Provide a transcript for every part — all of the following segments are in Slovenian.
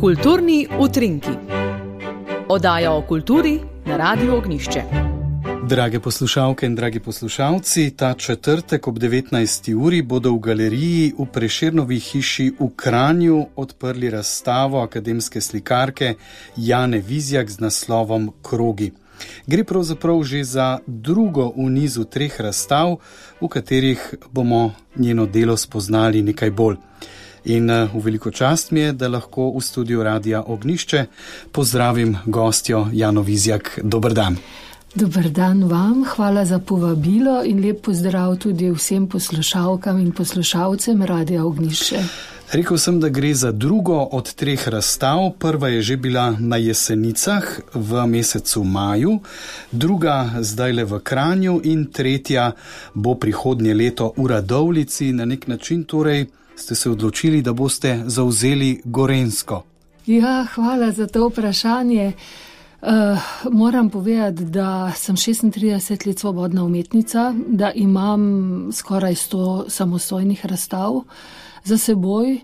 Kulturni utrinki. Oddaja o kulturi na Radiu Ognjišče. Drage poslušalke in dragi poslušalci, ta četrtek ob 19. uri bodo v galeriji v Prešernovi hiši v Kranju odprli razstavo akademske slikarke Jane Vizjak z naslovom Krogi. Gre pravzaprav že za drugo v nizu 3 razstav, v katerih bomo njeno delo spoznali nekaj bolj. In v veliko čast mi je, da lahko v studiu Radia Ognjišče pozdravim gostjo Jano Vizjak. Dober dan. Dober dan vam, hvala za povabilo in lep pozdrav tudi vsem poslušalkam in poslušalcem Radia Ognjišče. Rekel sem, da gre za drugo od 3 razstav. Prva je že bila na Jesenicah v mesecu maju, druga zdajle v Kranju in tretja bo prihodnje leto v Radovljici. Na nek način torej ste se odločili, da boste zavzeli Gorenjsko. Ja, hvala za to vprašanje. Moram povedati, da sem 36 let svobodna umetnica, da imam skoraj 100 samostojnih razstav za seboj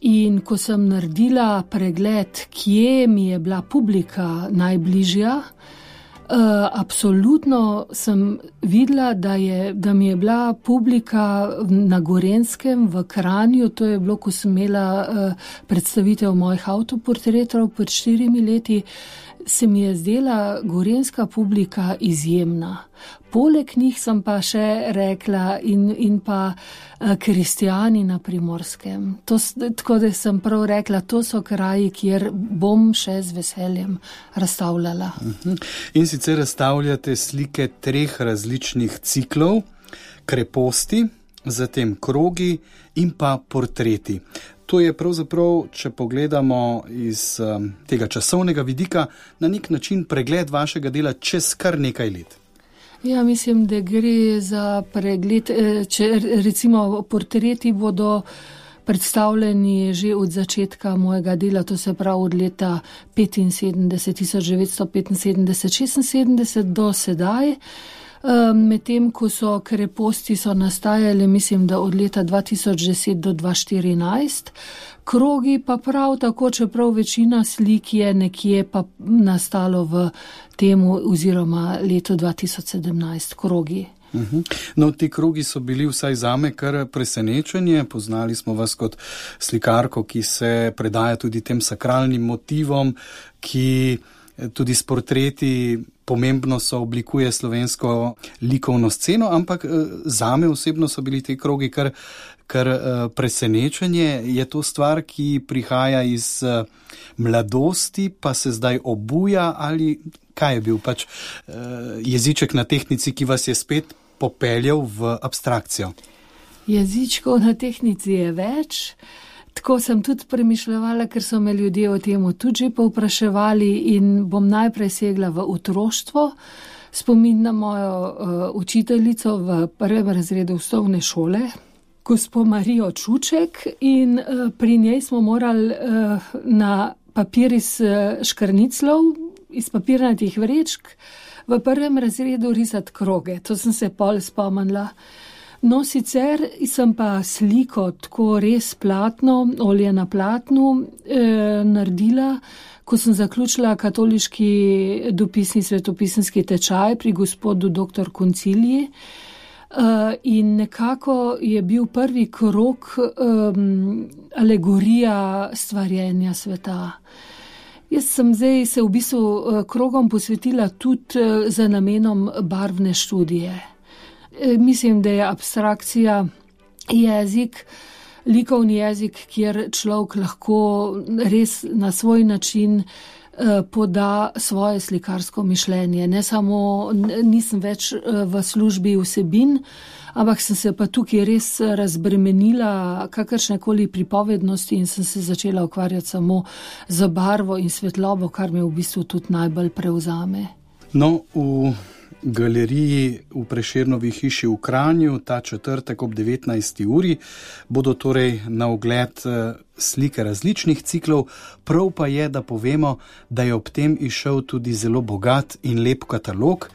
in ko sem naredila pregled, kje mi je bila publika najbližja, absolutno sem videla, da mi je bila publika na Gorenjskem v Kranju, to je bilo, ko sem imela predstavitev mojih avtoportretov pred 4 leti, se mi je zdela gorenjska publika izjemna. Poleg njih sem pa še rekla in pa kristjani na Primorskem. Tako da sem prav rekla, to so kraji, kjer bom še z veseljem razstavljala. In sicer razstavljate slike 3 različnih ciklov, kreposti, zatem krogi in pa portreti. To je pravzaprav, če pogledamo iz tega časovnega vidika, na nek način pregled vašega dela čez kar nekaj let. Ja, mislim, da gre za pregled, če recimo portreti bodo predstavljeni že od začetka mojega dela, to se pravi od leta 1975-76 do sedaj. Medtem, ko so kreposti nastajali, mislim, da od leta 2010 do 2014, krogi pa prav tako, čeprav večina slik je nekje pa nastalo v temu oziroma letu 2017, krogi. No, ti krogi so bili vsaj zame kar presenečenje. Poznali smo vas kot slikarko, ki se predaja tudi tem sakralnim motivom, ki tudi s portreti pomembno so oblikuje slovensko likovno sceno, ampak zame osebno so bili ti krogi kar presenečenje. Je to stvar, ki prihaja iz mladosti, pa se zdaj obuja, ali kaj je bil pač jeziček na tehnici, ki vas je spet popeljal v abstrakcijo? Jezičkov na tehnici je več. Tako sem tudi premišljala, ker so me ljudje o tem tudi povpraševali in bom najprej segla v otroštvo. Spomin na mojo učiteljico v 1. razredu osnovne šole, gospo Marijo Čuček, in pri njej smo morali na papir iz škrniclov, iz papirnatih vrečk, v 1. razredu risati kroge. To sem se pol spomnila. No, sicer sem pa sliko tako res platno, olje na platnu naredila, ko sem zaključila katoliški dopisni svetopisanski tečaj pri gospodu dr. Konciliji. In nekako je bil prvi krog alegorija stvarjenja sveta. Jaz sem zdaj se v bistvu krogom posvetila tudi za namenom barvne študije. Mislim, da je abstrakcija jezik, likovni jezik, kjer človek lahko res na svoj način poda svoje slikarsko mišljenje. Ne samo, nisem več v službi vsebin, ampak sem se pa tukaj res razbremenila kakršnekoli pripovednosti in sem se začela ukvarjati samo z barvo in svetlobo, kar me v bistvu tudi najbolj prevzame. No, v galeriji v Prešernovi hiši v Kranju ta četrtek ob 19. uri bodo torej na ogled slike različnih ciklov. Prav pa je, da povemo, da je ob tem izšel tudi zelo bogat in lep katalog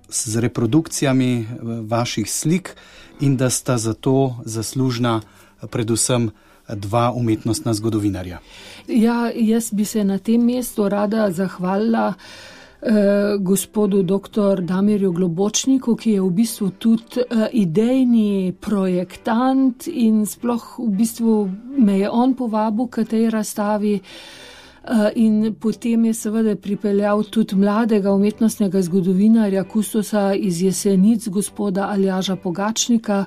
z reprodukcijami vaših slik in da sta zato zaslužna predvsem dva umetnostna zgodovinarja. Ja, jaz bi se na tem mestu rada zahvalila gospodu dr. Damirju Globočniku, ki je v bistvu tudi idejni projektant in sploh v bistvu me je on povabil k tej razstavi. In potem je seveda pripeljal tudi mladega umetnostnega zgodovinarja, kustosa iz Jesenic, gospoda Aljaža Pogačnika.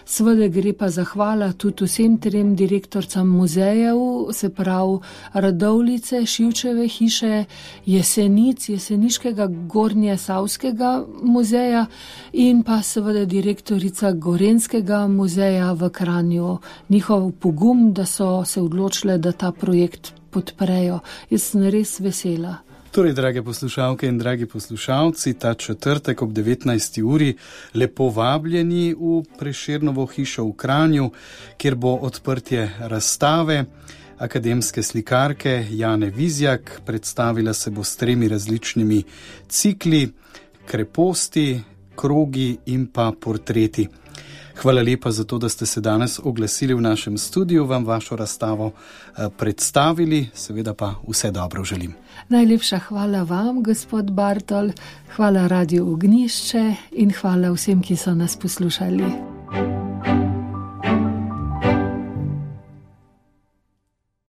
Seveda gre pa zahvala tudi vsem trem direktorcam muzejev, se pravi Radovljice, Šivčeve hiše, Jesenic, Jeseniškega Gornje Savskega muzeja in pa seveda direktorica Gorenjskega muzeja v Kranju. Njihov pogum, da so se odločile, da ta projekt podprejo. Jaz sem res vesela. Torej, drage poslušalke in dragi poslušalci, ta četrtek ob 19. uri lepo vabljeni v Prešernovo hišo v Kranju, kjer bo odprtje razstave akademske slikarke Jane Vizjak. Predstavila se bo s 3 različnimi cikli, kreposti, krogi in pa portreti. Hvala lepa za to, da ste se danes oglasili v našem studiu, vam vašo razstavo predstavili, seveda pa vse dobro želim. Najlepša hvala vam, gospod Bartol, hvala Radiu Ognjišče in hvala vsem, ki so nas poslušali.